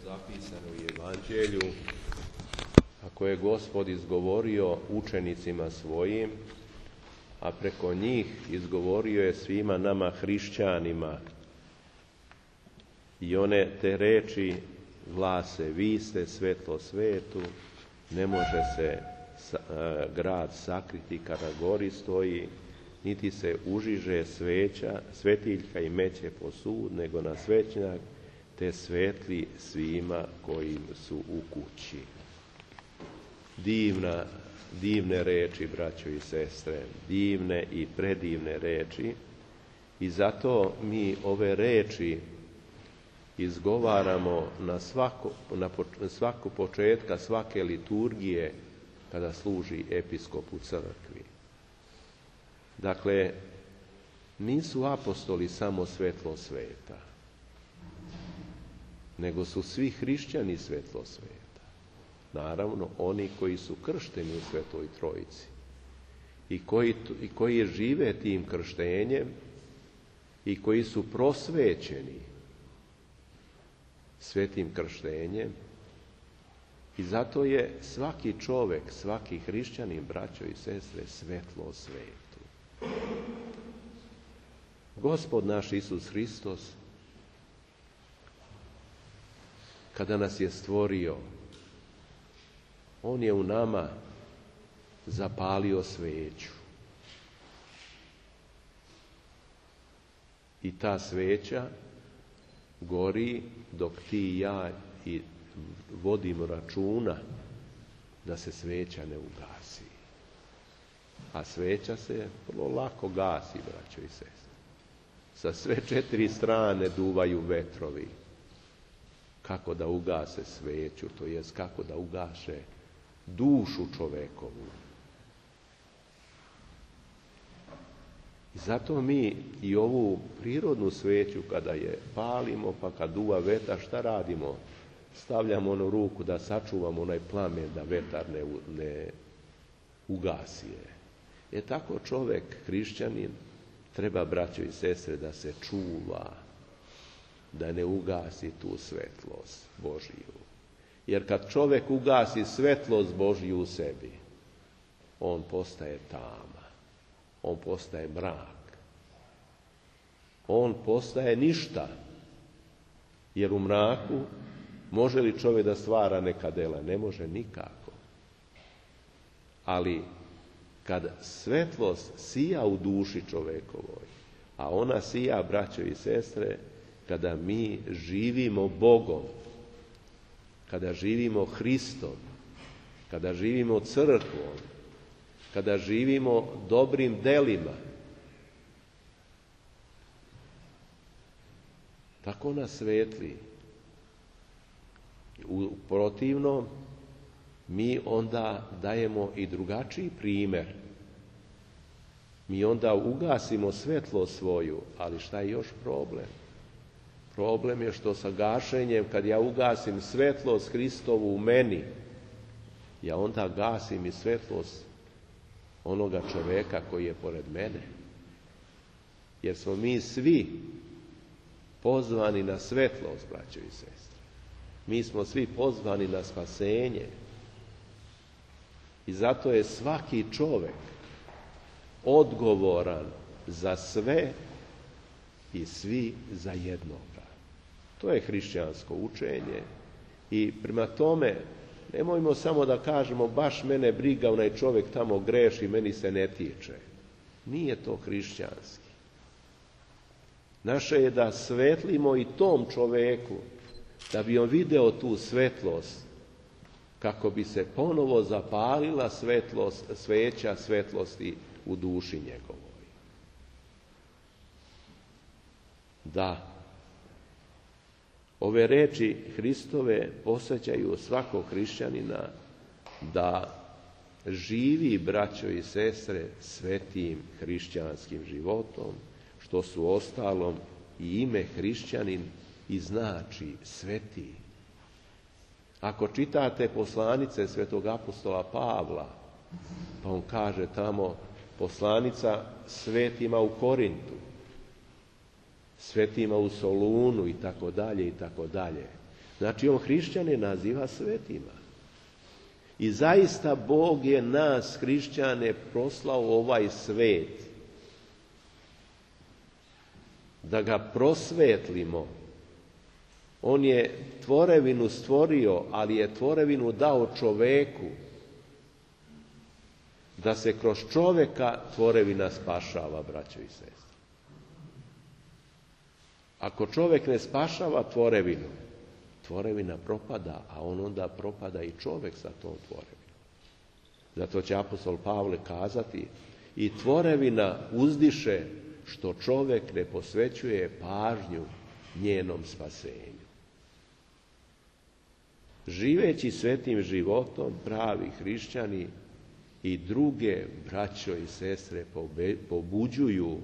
zapisano u Evanđelju, a koje je Gospod izgovorio učenicima svojim, a preko njih izgovorio je svima nama hrišćanima. I one te reči glase: vi ste svetlo svetu, ne može se grad sakriti kada gori stoji, niti se užiže svetiljka i meće po sud, nego na svećnjak, te svetli svima kojim su u kući. Divne reči, braćo i sestre, divne i predivne reči, i zato mi ove reči izgovaramo na svaku početka svake liturgije kada služi episkop u crkvi. Dakle, nisu apostoli samo svetlo sveta, nego su svi hrišćani svetlo sveta. Naravno, oni koji su kršteni u Svetoj Trojici i koji žive tim krštenjem i koji su prosvećeni svetim krštenjem. I zato je svaki čovjek, svaki hrišćanin, braćo i sestre, svetlo svetu. Gospod naš Isus Hristos, kada nas je stvorio, on je u nama zapalio sveću. I ta sveća gori dok ti i ja vodimo računa da se sveća ne ugasi. A sveća se vrlo lako gasi, braćo i sestre. Sa sve 4 strane duvaju vetrovi. Kako da ugase sveću, to jest kako da ugaše dušu čovekovu. I zato mi i ovu prirodnu sveću kada je palimo, pa kad duva vetar, šta radimo? Stavljamo onu ruku da sačuvamo onaj plamen, da vetar ne ugasi je. Tako čovjek, hrišćanin, treba, braćo i sestre, da se čuva, da ne ugasi tu svetlost Božiju. Jer kad čovjek ugasi svetlost Božju u sebi, on postaje tama, on postaje mrak, on postaje ništa. Jer u mraku može li čovjek da stvara neka dela? Ne može nikako. Ali kad svetlost sija u duši čovjekovoj, a ona sija, braćo i sestre, kada mi živimo Bogom, kada živimo Hristom, kada živimo crkvom, kada živimo dobrim delima, tako nas svetli. U protivnom, mi onda dajemo i drugačiji primjer. Mi onda ugasimo svetlost svoju, ali šta je još problem? Problem je što sa gašenjem, kad ja ugasim svetlost Hristovu u meni, ja onda gasim i svetlost onoga čovjeka koji je pored mene. Jer smo mi svi pozvani na svetlost, braćo i sestre. Mi smo svi pozvani na spasenje. I zato je svaki čovjek odgovoran za sve i svi za jednoga. To je hrišćansko učenje. I prema tome, nemojmo samo da kažemo baš mene briga, onaj čovjek tamo greši, meni se ne tiče. Nije to hrišćanski. Naše je da svetlimo i tom čovjeku, da bi on video tu svetlost, kako bi se ponovo zapalila sveća svetlosti u duši njegovoj. Da, ove reči Hristove posjećaju svakog hrišćanina da živi, braćo i sestre, svetim hrišćanskim životom, što su ostalom i ime hrišćanin i znači sveti. Ako čitate poslanice svetog apostola Pavla, pa on kaže tamo poslanica svetima u Korintu, svetima u Solunu i tako dalje i tako dalje. Znači, on hrišćane naziva svetima. I zaista Bog je nas, hrišćane, poslao u ovaj svet da ga prosvetlimo. On je tvorevinu stvorio, ali je tvorevinu dao čoveku, da se kroz čoveka tvorevina spašava, braćo i sestre. Ako čovek ne spašava tvorevinu, tvorevina propada, a on onda propada i čovek sa tom tvorevinom. Zato će apostol Pavle kazati: i tvorevina uzdiše što čovek ne posvećuje pažnju njenom spasenju. Živeći svetim životom, pravi hrišćani i druge braćo i sestre pobuđuju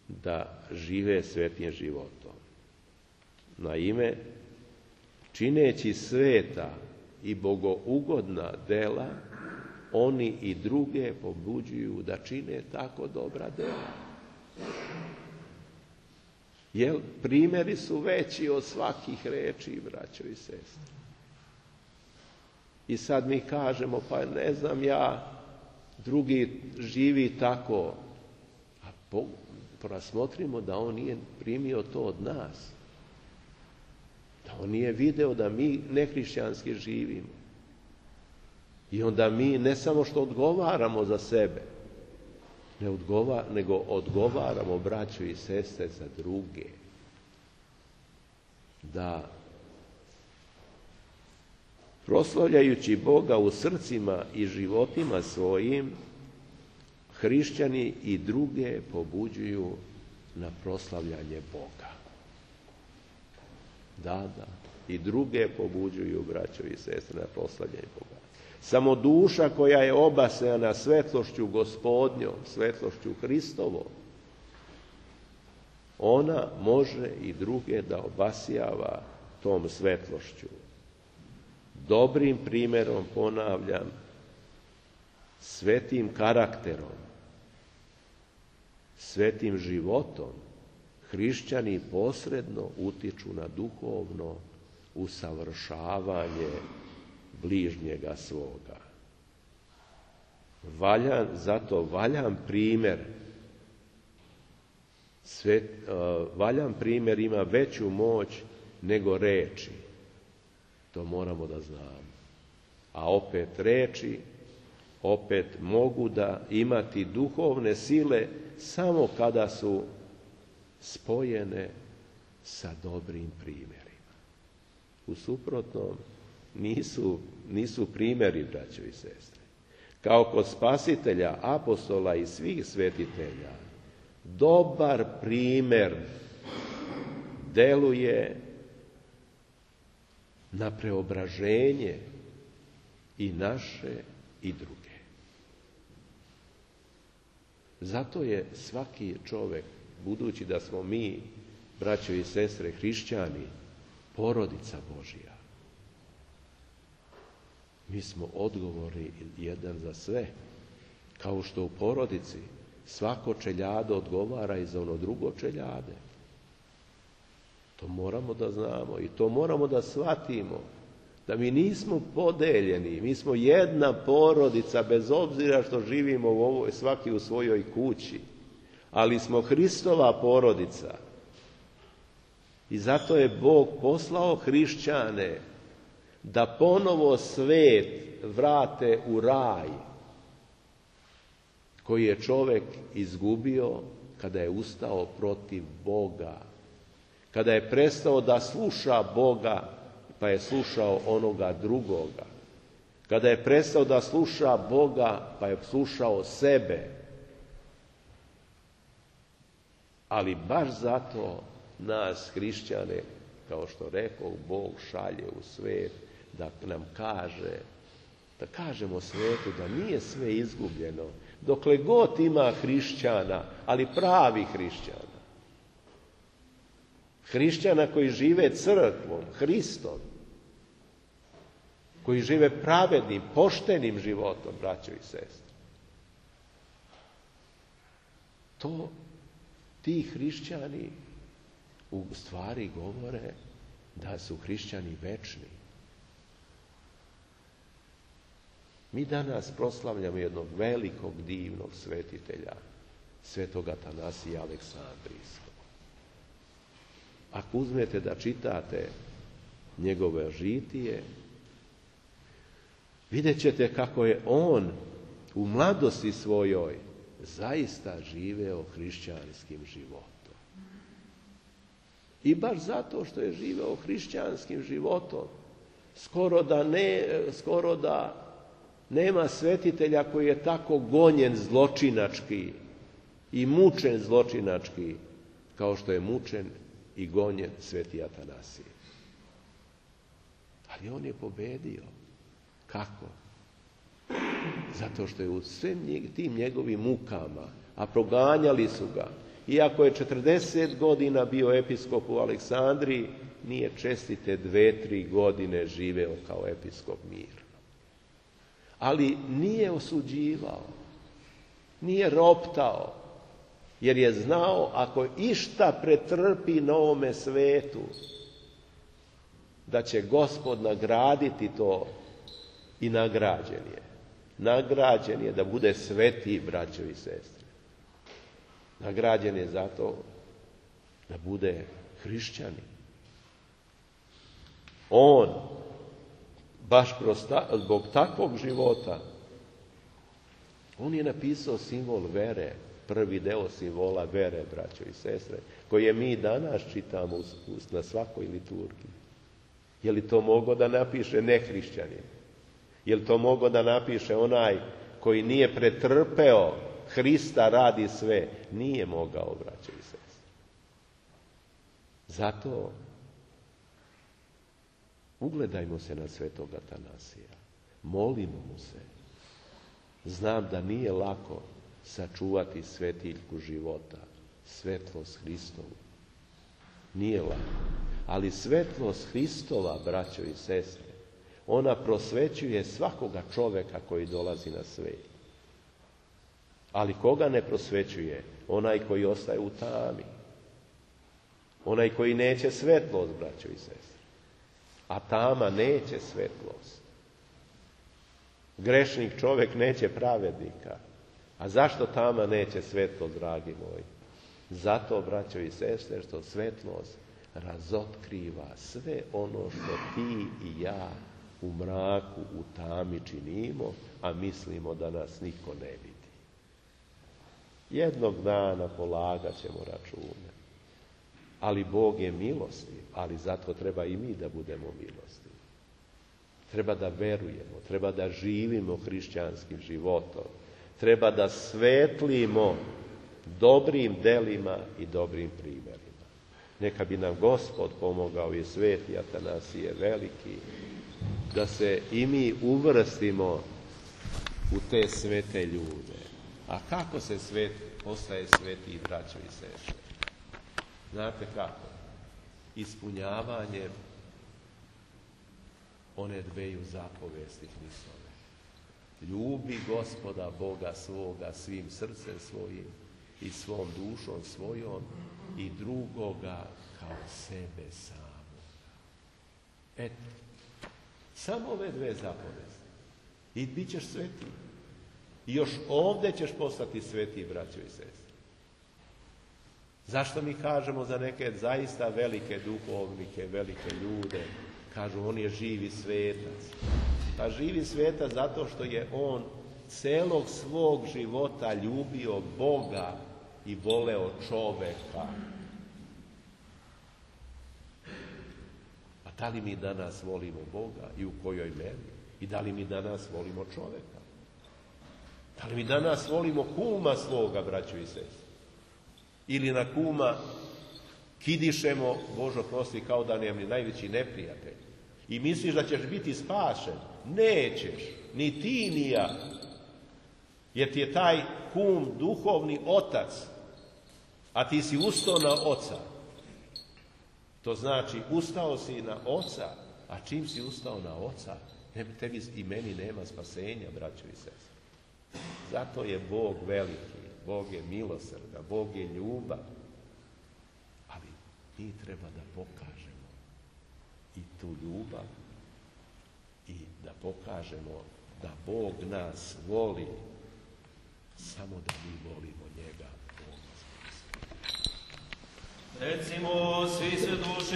da žive svetim životom. Naime, čineći sveta i bogougodna dela, oni i druge pobuđuju da čine tako dobra dela. Jer primjeri su veći od svakih reči, braćo i sestre. I sad mi kažemo, pa ne znam ja, drugi živi tako. A rasmotrimo da on nije primio to od nas. Da on nije video da mi nehrišćanski živimo. I onda mi ne samo što odgovaramo za sebe, nego odgovaramo, braćo i sestre, za druge. Da proslavljajući Boga u srcima i životima svojim, hrišćani i druge pobuđuju na proslavljanje Boga. Da, i druge pobuđuju, braćo i sestre, na proslavljanje Boga. Samo duša koja je obasjana svetlošću Gospodnjom, svetlošću Hristovom, ona može i druge da obasjava tom svetlošću. Dobrim primjerom, ponavljam, svetim karakterom, svetim životom, hrišćani posredno utiču na duhovno usavršavanje bližnjega svoga. Zato valjan primjer ima veću moć nego reči. To moramo da znamo. A opet reči, opet mogu da imati duhovne sile samo kada su spojene sa dobrim primjerima. U suprotnom nisu primjeri, braćo i sestre. Kao kod spasitelja, apostola i svih svetitelja, dobar primjer deluje na preobraženje i naše i druge. Zato je svaki čovjek, budući da smo mi, braćo i sestre, hrišćani, porodica Božja, mi smo odgovorni jedan za sve. Kao što u porodici svako čeljado odgovara i za ono drugo čeljade. To moramo da znamo i to moramo da shvatimo. Da mi nismo podeljeni, mi smo jedna porodica, bez obzira što živimo svaki u svojoj kući. Ali smo Hristova porodica. I zato je Bog poslao hrišćane da ponovo svet vrate u raj koji je čovjek izgubio kada je ustao protiv Boga. Kada je prestao da sluša Boga, pa je slušao onoga drugoga. Kada je prestao da sluša Boga, pa je slušao sebe. Ali baš zato nas, hrišćane, kao što rekao, Bog šalje u svet da nam kaže, da kažemo svetu da nije sve izgubljeno, dokle god ima hrišćana, ali pravi hrišćana. Hrišćana koji žive crkvom, Hristom, koji žive pravednim, poštenim životom, braćo i sestre. Ti hrišćani u stvari govore da su hrišćani večni. Mi danas proslavljamo jednog velikog, divnog svetitelja, svetog Atanasija Aleksandrijskog. Ako uzmete da čitate njegove žitije, vidjet ćete kako je on u mladosti svojoj zaista živeo hrišćanskim životom. I baš zato što je živeo hrišćanskim životom, skoro da nema svetitelja koji je tako gonjen zločinački i mučen zločinački kao što je mučen i gonjen sveti Atanasije. Ali on je pobedio. Kako? Zato što je u svim tim njegovim mukama, a proganjali su ga, iako je 40 godina bio episkop u Aleksandriji, nije čestite 2-3 godine živeo kao episkop mirno. Ali nije osuđivao, nije roptao, jer je znao ako išta pretrpi na ovome svetu, da će Gospod nagraditi to i nagrađen je. Nagrađen je da bude sveti, braćo i sestre. Nagrađen je zato da bude hrišćanin. On, baš zbog takvog života, on je napisao simbol vere, prvi deo simbola vere, braćo i sestre, koje mi danas čitamo na svakoj liturgiji. Je li to mogao da napiše nehrišćanin? Je li to mogao da napiše onaj koji nije pretrpeo Hrista radi sve? Nije mogao, braćo i sestre. Zato ugledajmo se na svetog Atanasija. Molimo mu se. Znam da nije lako sačuvati svetiljku života, svetlost Hristovu. Nije lako. Ali svetlost Hristova, braćo i sestre, ona prosvećuje svakoga čoveka koji dolazi na svijet. Ali koga ne prosvećuje? Onaj koji ostaje u tami. Onaj koji neće svetlost, braćo i sestre. A tama neće svetlost. Grešnik čovjek neće pravednika. A zašto tama neće svetlost, dragi moji? Zato, braćo i sestre, što svetlost razotkriva sve ono što ti i ja u mraku, u tami činimo, a mislimo da nas niko ne vidi. Jednog dana polagat ćemo račune. Ali Bog je milostiv, ali zato treba i mi da budemo milostivi. Treba da verujemo, treba da živimo hrišćanskim životom, treba da svetlimo dobrim delima i dobrim primjerima. Neka bi nam Gospod pomogao i sveti Atanasije veliki, da se i mi uvrstimo u te svete ljude. A kako se postaje sveti, braćo i sestre? Znate kako? Ispunjavanjem one dveju zapovesti Hristove. Ljubi Gospoda Boga svoga svim srcem svojim i svom dušom svojom i drugoga kao sebe samog. Eto, samo ove dve zapovesti i bit ćeš sveti. I još ovdje ćeš postati sveti, braćo i sestre. Zašto mi kažemo za neke zaista velike duhovnike, velike ljude, kažu on je živi svetac. Pa živi svetac zato što je on celog svog života ljubio Boga i voleo čoveka. A da li mi danas volimo Boga i u kojoj meri? I da li mi danas volimo čoveka? Da li mi danas volimo kuma svoga, braćo i sestre? Ili na kuma kidišemo, Božo prosti, kao da nam je najveći neprijatelj. I misliš da ćeš biti spašen? Nećeš, ni ti ni ja. Jer ti je taj kum duhovni otac, a ti si ustao na oca. To znači, ustao si na oca, a čim si ustao na oca, tebi i meni nema spasenja, braćo i sestre. Zato je Bog veliki, Bog je milosrdan, Bog je ljubav. Ali mi treba da pokažemo tu ljubav i da pokažemo da Bog nas voli, samo da mi volimo njega. Recimo, svi se duši